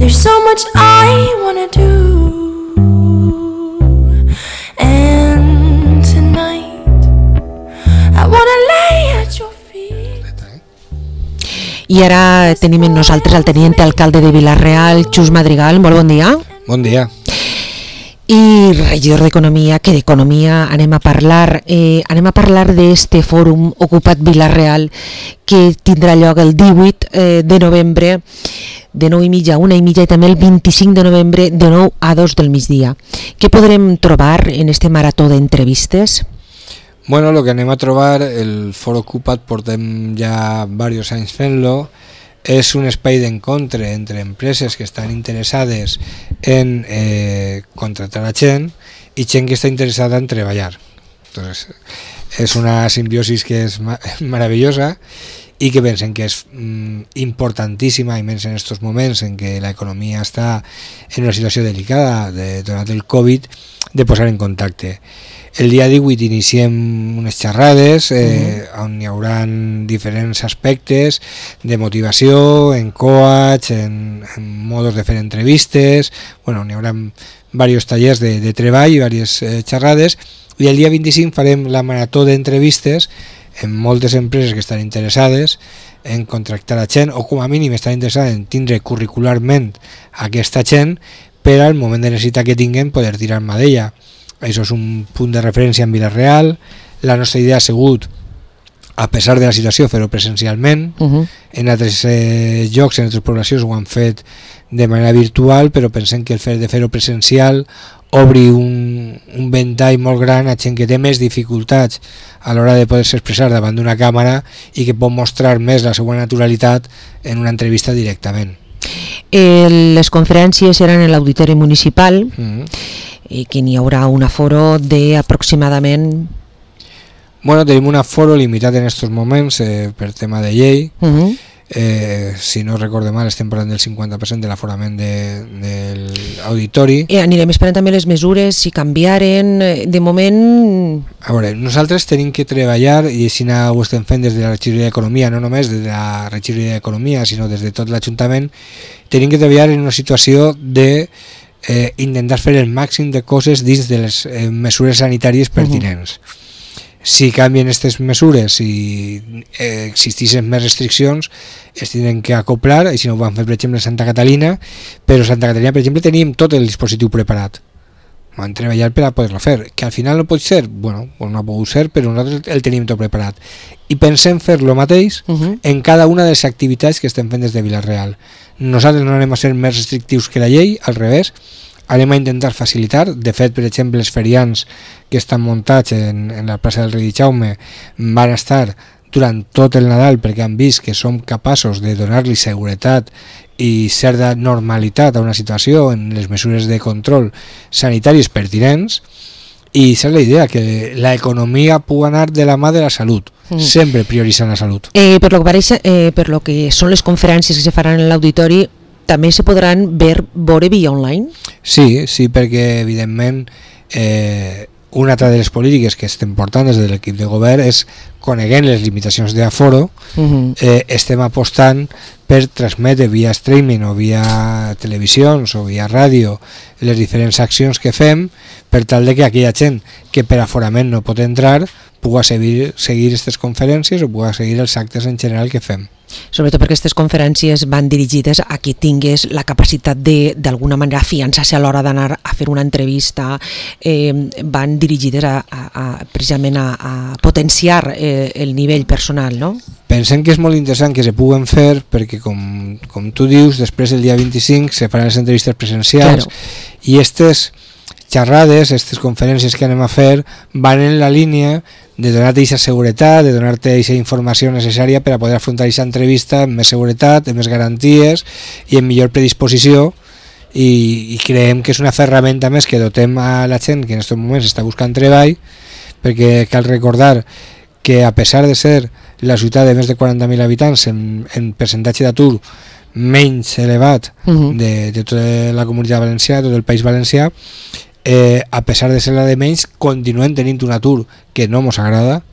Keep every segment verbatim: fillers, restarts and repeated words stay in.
There's so much I wanna do. And tonight I wanna lay at your feet. I ara tenim amb nosaltres el tenient alcalde de Vila-real, Xus Madrigal. Molt bon dia. Bon dia. I regidor d'Economia, que d'Economia anem a parlar. Eh, anem a parlar d'este fòrum Ocupa't Vila-real que tindrà lloc el divuit eh, de novembre de nou i mitja a una i mitja i també el vint-i-cinc de novembre de nou a dos del migdia. Què podrem trobar en este marató d'entrevistes? Bueno, lo que anem a trobar, el Foro Ocupa't portem ja diversos anys fent-lo, és un espai d'encontre entre empreses que estan interessades en eh, contratar a gent i gent que està interessada en treballar. Entonces, és una simbiosis que és ma- maravillosa i que pensen que és mm, importantíssima, i menys en aquests moments en què l'economia està en una situació delicada de, donat el Covid, de posar en contacte. El dia divuit iniciem unes xerrades eh, uh-huh. on hi haurà diferents aspectes de motivació, en coach, en, en modos de fer entrevistes, bueno, hi haurà diversos tallers de, de treball i diverses eh, xerrades, i el dia vint-i-cinc farem la marató d'entrevistes en moltes empreses que estan interessades en contractar a gent, o com a mínim estan interessades en tindre curricularment aquesta gent per al moment de necessitat que tinguem poder tirar-me d'ella. Això és un punt de referència en Vila-real. La nostra idea ha sigut, a pesar de la situació, fer-ho presencialment. Uh-huh. En altres eh, llocs, en altres poblacions ho han fet de manera virtual, però pensem que el fet de fer-ho presencial obri un, un ventall molt gran a gent que té més dificultats a l'hora de poder-se expressar davant d'una càmera i que pot mostrar més la seva naturalitat en una entrevista directament. Eh, les conferències seran en l'auditori municipal. Uh-huh. I que n'hi haurà un aforo d'aproximadament... Bueno, tenim un aforo limitat en aquests moments eh, per tema de llei. Uh-huh. Eh, si no recorde mal, estem parlant del cinquanta per cent de l'aforament de, de l'auditori. I anirem esperant també les mesures, si canviaren. De moment... A veure, nosaltres tenim que treballar, i així ho estem fent des de la regidoria d'Economia, no només des de la regidoria d'Economia, sinó des de tot l'Ajuntament, tenim que treballar en una situació de Eh, intentar fer el màxim de coses dins de les eh, mesures sanitàries pertinents. Uh-huh. Si canvien aquestes mesures, si eh, existeixen més restriccions, es tenen que acoplar, i si no ho van fer per exemple a Santa Catalina, però a Santa Catalina per exemple teníem tot el dispositiu preparat, vam treballar per a poder-lo fer, que al final no pot ser, bueno, no ha pogut ser, però nosaltres el tenim tot preparat i pensem fer lo mateix uh-huh. en cada una de les activitats que estem fent des de Vila-real. Nosaltres no anem a ser més restrictius que la llei, al revés, anem a intentar facilitar. De fet, per exemple, els ferians que estan muntats en, en la plaça del Rei Jaume van estar durant tot el Nadal perquè han vist que som capaços de donar-li seguretat i certa normalitat a una situació en les mesures de control sanitaris pertinents, i esa és la idea, que l'economia pugui anar de la mà de la salut, mm. sempre prioritzant la salut. Eh, per, lo que pareix, eh, per lo que són les conferències que se faran en l'auditori, també se podran ver, veure via online? Sí, sí, perquè evidentment eh, una altra de les polítiques que estem portant des de l'equip de govern és, coneguent les limitacions d'aforo, uh-huh. eh, estem apostant per transmetre via streaming o via televisions o via ràdio les diferents accions que fem, per tal de que aquella gent que per aforament no pot entrar pugui seguir, seguir aquestes conferències o pugui seguir els actes en general que fem. Sobretot perquè aquestes conferències van dirigides a que tingués la capacitat de, d'alguna manera, afiançar-se a l'hora d'anar a fer una entrevista, eh, van dirigides a, a, a, precisament a, a potenciar eh, el nivell personal, no? Pensem que és molt interessant que se puguen fer perquè, com, com tu dius, després el dia vint-i-cinc se faran les entrevistes presencials, claro. I aquestes xerrades, aquestes conferències que anem a fer van en la línia de donar-te aquesta seguretat, de donar-te aquesta informació necessària per a poder afrontar aquesta entrevista amb més seguretat, amb més garanties i amb millor predisposició, i, i creiem que és una ferramenta més que dotem a la gent que en aquests moments està buscant treball, perquè cal recordar que a pesar de ser la ciutat de més de quaranta mil habitants en, en percentatge d'atur menys elevat uh-huh. de, de tota la comunitat valenciana, tot el País Valencià, eh, a pesar de ser la de menys, continuem tenint un atur que no mos agrada.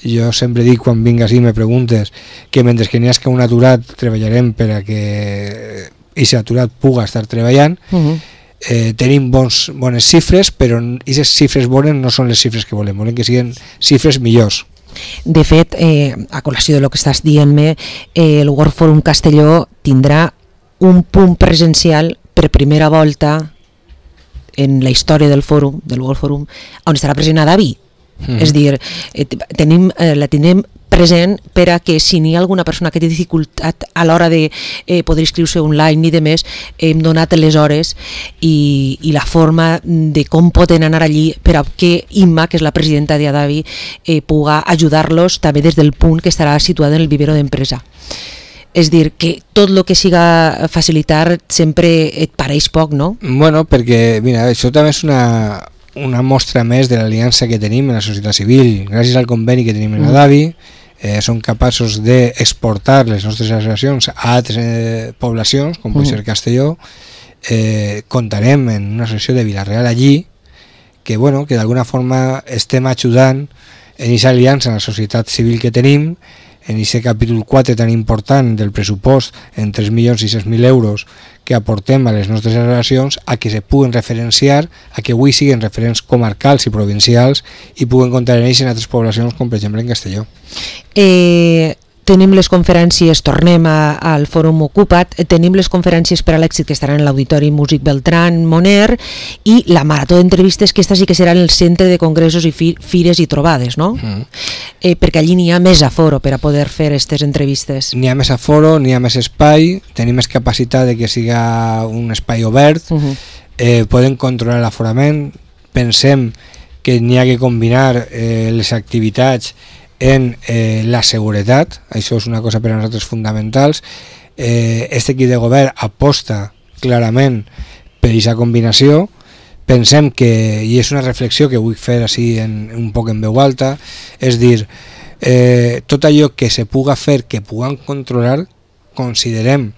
Jo sempre dic, quan vingues i me preguntes, que mentre que n'hi hagi un aturat treballarem per a que i s'aturat puga estar treballant. Uh-huh. Eh, tenim bons, bones xifres, però aquestes xifres bones no són les xifres que volem, volem que siguin xifres millors. De fet, eh, a col·lació de lo que estàs dient-me, eh, el World Forum Castelló tindrà un punt presencial per primera volta en la història del fòrum, del World Forum, on estarà present Adavi. Mm. És dir, eh, tenim, eh, la tindrem present per a que si n'hi ha alguna persona que té dificultat a l'hora de eh, poder inscriure-se online i de més, hem donat les hores i, i la forma de com poden anar allí per a que Imma, que és la presidenta d'Adavi, eh, puga ajudar-los també des del punt que estarà situat en el vivero d'empresa. És dir, que tot el que siga facilitar sempre et pareix poc, no? Bueno, perquè mira, això també és una, una mostra més de l'aliança que tenim en la societat civil. Gràcies al conveni que tenim en Adavi, eh, som capaços d'exportar les nostres associacions a altres eh, poblacions, com pot ser Castelló. Eh, comptarem en una associació de Vila-real allí, que, bueno, que d'alguna forma estem ajudant en aquesta aliança en la societat civil que tenim, en aquest capítol quatre tan important del pressupost en tres milions sis-cents mil euros que aportem a les nostres associacions, a que se puguen referenciar, a que avui siguin referents comarcals i provincials i puguen comptar en ells en altres poblacions, com per exemple en Castelló. Eh, tenim les conferències, tornem a, al Fòrum Ocupat, tenim les conferències per a l'èxit que estaran en l'Auditori Músic Beltrán Moner i la marató d'entrevistes, que esta sí que serà en el centre de congressos i fi, fires i trobades, no? Mm. Eh, perquè allí n'hi ha més aforo per a poder fer aquestes entrevistes. N'hi ha més aforo, n'hi ha més espai, tenim més capacitat de que siga un espai obert, uh-huh. eh, podem controlar l'aforament, pensem que n'hi ha que combinar eh, les activitats en eh, la seguretat, això és una cosa per a nosaltres fonamentals. Eh, este equip de govern aposta clarament per aquesta combinació. Pensem que, i és una reflexió que vull fer així en, un poc en veu alta, és dir, eh, tot allò que se puga fer, que puguem controlar, considerem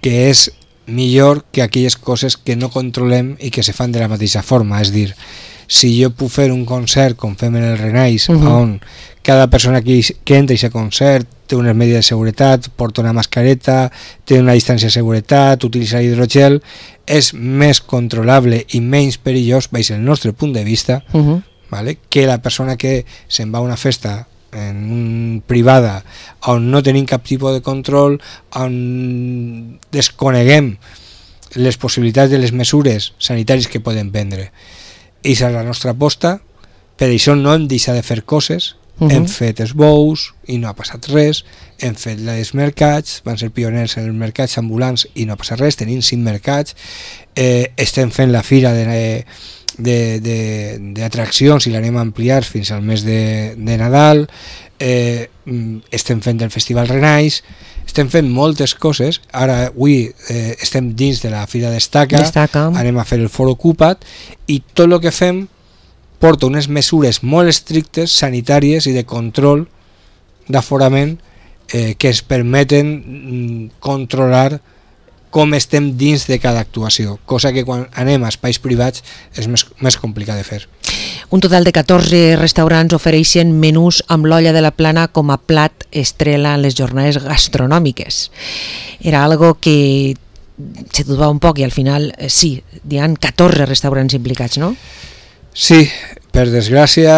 que és millor que aquelles coses que no controlem i que se fan de la mateixa forma. És dir, si jo puc fer un concert com fem en el Renais, uh-huh. on cada persona que, que entra a aquest concert té unes medides de seguretat, porta una mascareta, té una distància de seguretat, utilitza hidrogel, és més controlable i menys perillós, veig el nostre punt de vista, uh-huh. vale? Que la persona que se'n va a una festa en un privada on no tenim cap tipus de control, on desconeguem les possibilitats de les mesures sanitàries que podem prendre. I és la nostra aposta, per això no hem deixat de fer coses, uh-huh. hem fet esbous i no ha passat res, hem fet els mercats, van ser pioners en els mercats ambulants i no ha passat res, tenim cinc mercats, eh, estem fent la fira de, de, de, d'atraccions i l'anem a ampliar fins al mes de, de Nadal, eh, estem fent el Festival Renais, estem fent moltes coses. Ara avui eh, estem dins de la Fira Destaca, Destaca, anem a fer el Foro Ocupat i tot el que fem porta unes mesures molt estrictes, sanitàries i de control d'aforament eh, que es permeten mm, controlar com estem dins de cada actuació, cosa que quan anem a espais privats és més, més complicat de fer. Un total de catorze restaurants ofereixen menús amb l'olla de la plana com a plat estrella en les jornades gastronòmiques. Era algo que se dudava un poc i al final eh, sí, hi ha catorze restaurants implicats, no? Sí, per desgràcia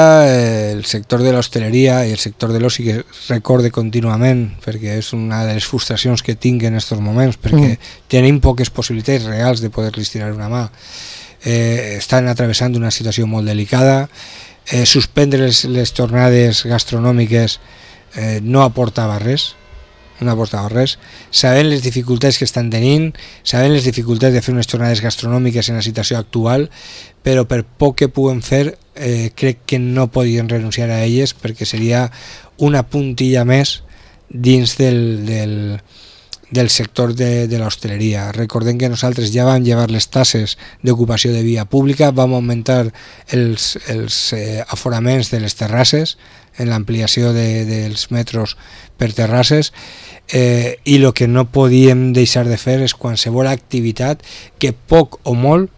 el sector de l'hostaleria i el sector de l'oci que recorde contínuament, perquè és una de les frustracions que tinc en aquests moments, perquè mm. tenim poques possibilitats reals de poder-los tirar una mà. Eh, estan atravessant una situació molt delicada, eh, suspendre les, les tornades gastronòmiques eh, no aportava res, no aportava res, sabent les dificultats que estan tenint, sabent les dificultats de fer unes tornades gastronòmiques en la situació actual, però per poc que puguem fer, eh, crec que no podien renunciar a elles perquè seria una puntilla més dins del, del, del sector de, de l'hostaleria. Recordem que nosaltres ja vam llevar les tasses d'ocupació de via pública, vam augmentar els, els eh, aforaments de les terrasses en l'ampliació de, dels metros per terrasses, eh, i el que no podíem deixar de fer és qualsevol activitat que poc o molt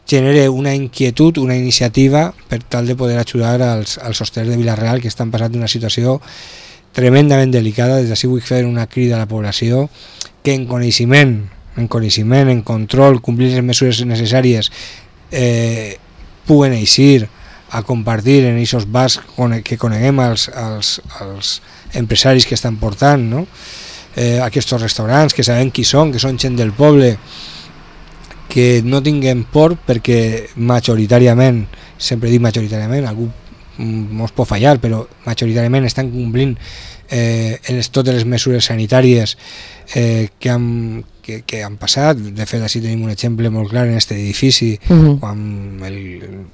genere una inquietud, una iniciativa per tal de poder ajudar als, als hostelers de Vila-real que estan passant una situació tremendament delicada. Des d'ací vull fer una crida a la població que en coneixement en coneixement, en control, complir les mesures necessàries, eh, puguen eixir a compartir en aquests bars que coneguem als, als, als empresaris que estan portant, no? eh, aquests restaurants, que sabem qui són, que són gent del poble, que no tinguem por perquè majoritàriament, sempre dic majoritàriament, algú mos pot fallar, però majoritàriament estan complint eh, en les, totes les mesures sanitàries eh, que, han, que, que han passat. De fet, així tenim un exemple molt clar en aquest edifici, uh-huh. quan el,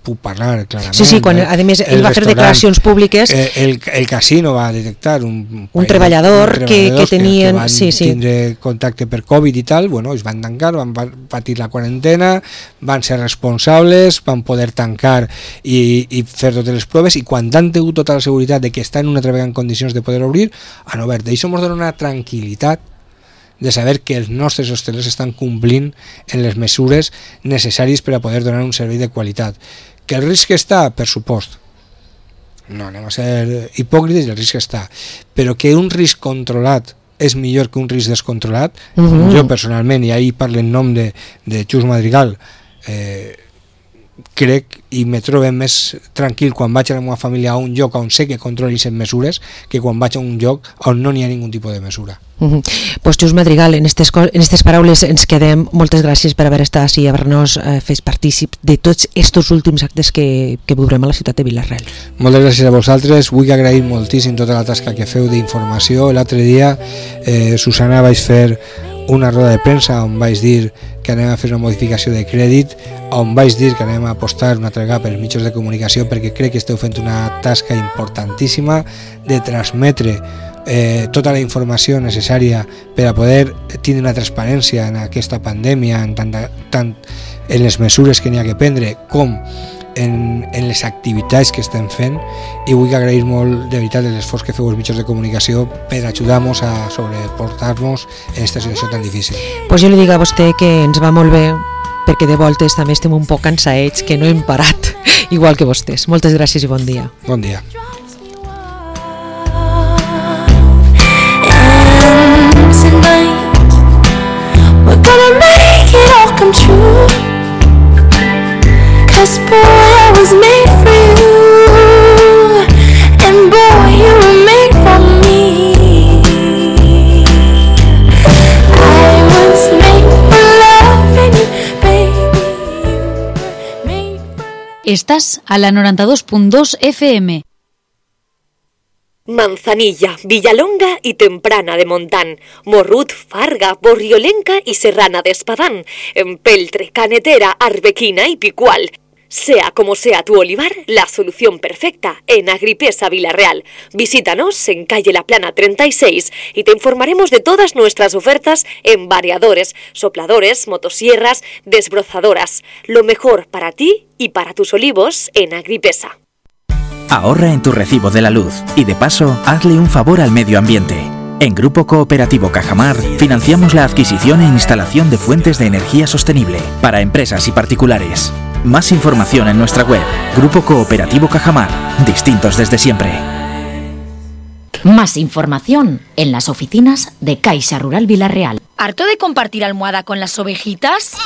puc parlar clarament. Sí, sí, quan a més ell va fer declaracions públiques. Eh, el, el casino va detectar un, un treballador que, que tenien... Que, que van sí, sí. tindre contacte per Covid i tal, bueno, es van tancar, van patir la quarantena, van ser responsables, van poder tancar i, i fer totes les proves, i quan han tingut tota la seguretat de que estan una altra vegada en condicions de poder obrir, han obert. I això ens dona una tranquil·litat de saber que els nostres hostelers estan complint en les mesures necessàries per a poder donar un servei de qualitat. Que el risc està, per supost, no anem a ser hipòcrites, el risc està, però que un risc controlat és millor que un risc descontrolat. Uh-huh. Jo personalment, i ahir parlo en nom de, de Xus Madrigal, eh, crec i me trobo més tranquil quan vaig a la meva família a un lloc on sé que controli les mesures que quan vaig a un lloc on no n'hi ha ningun tipus de mesura. Uh-huh. Pues Xus Madrigal, en aquestes en aquestes paraules ens quedem. Moltes gràcies per haver estat així i haver-nos eh, fet partícip de tots estos últims actes que, que viurem a la ciutat de Vila-real. Moltes gràcies a vosaltres. Vull agrair moltíssim tota la tasca que feu d'informació. L'altre dia, eh, Susana, vaig fer una roda de premsa on vaig dir que anem a fer una modificació de crèdit, on vaig dir que anem a apostar una altra vegada per els mitjans de comunicació, perquè crec que esteu fent una tasca importantíssima de transmetre eh, tota la informació necessària per a poder tindre una transparència en aquesta pandèmia, en tant, tant en les mesures que n'hi ha que prendre com en, en les activitats que estem fent, i vull agrair molt de veritat l'esforç que feu els mitjans de comunicació per ajudar-nos a sobreportar-nos en aquesta situació tan difícil. Pues jo li dic a vostè que ens va molt bé, perquè de voltes també estem un poc cansaets, que no hem parat, igual que vostès. Moltes gràcies i bon dia. Bon dia. And tonight we're gonna make it all come true. 'Cause boy, I was made for you, and boy, you were made for me. I was made for loving you, baby, you were made for... Estás a la noranta-dos punt dos F M. Manzanilla, Villalonga y Temprana de Montán, Morrut, Farga, Borriolenca y Serrana de Espadán, Empeltre, Canetera, Arbequina y Picual. Sea como sea tu olivar, la solución perfecta en Agripesa Vila-real. Visítanos en calle La Plana treinta y seis y te informaremos de todas nuestras ofertas en variadores, sopladores, motosierras, desbrozadoras. Lo mejor para ti y para tus olivos en Agripesa. Ahorra en tu recibo de la luz y de paso hazle un favor al medio ambiente. En Grupo Cooperativo Cajamar financiamos la adquisición e instalación de fuentes de energía sostenible para empresas y particulares. Más información en nuestra web, Grupo Cooperativo Cajamar, distintos desde siempre. Más información en las oficinas de Caixa Rural Vila-real. ¿Harto de compartir almohada con las ovejitas?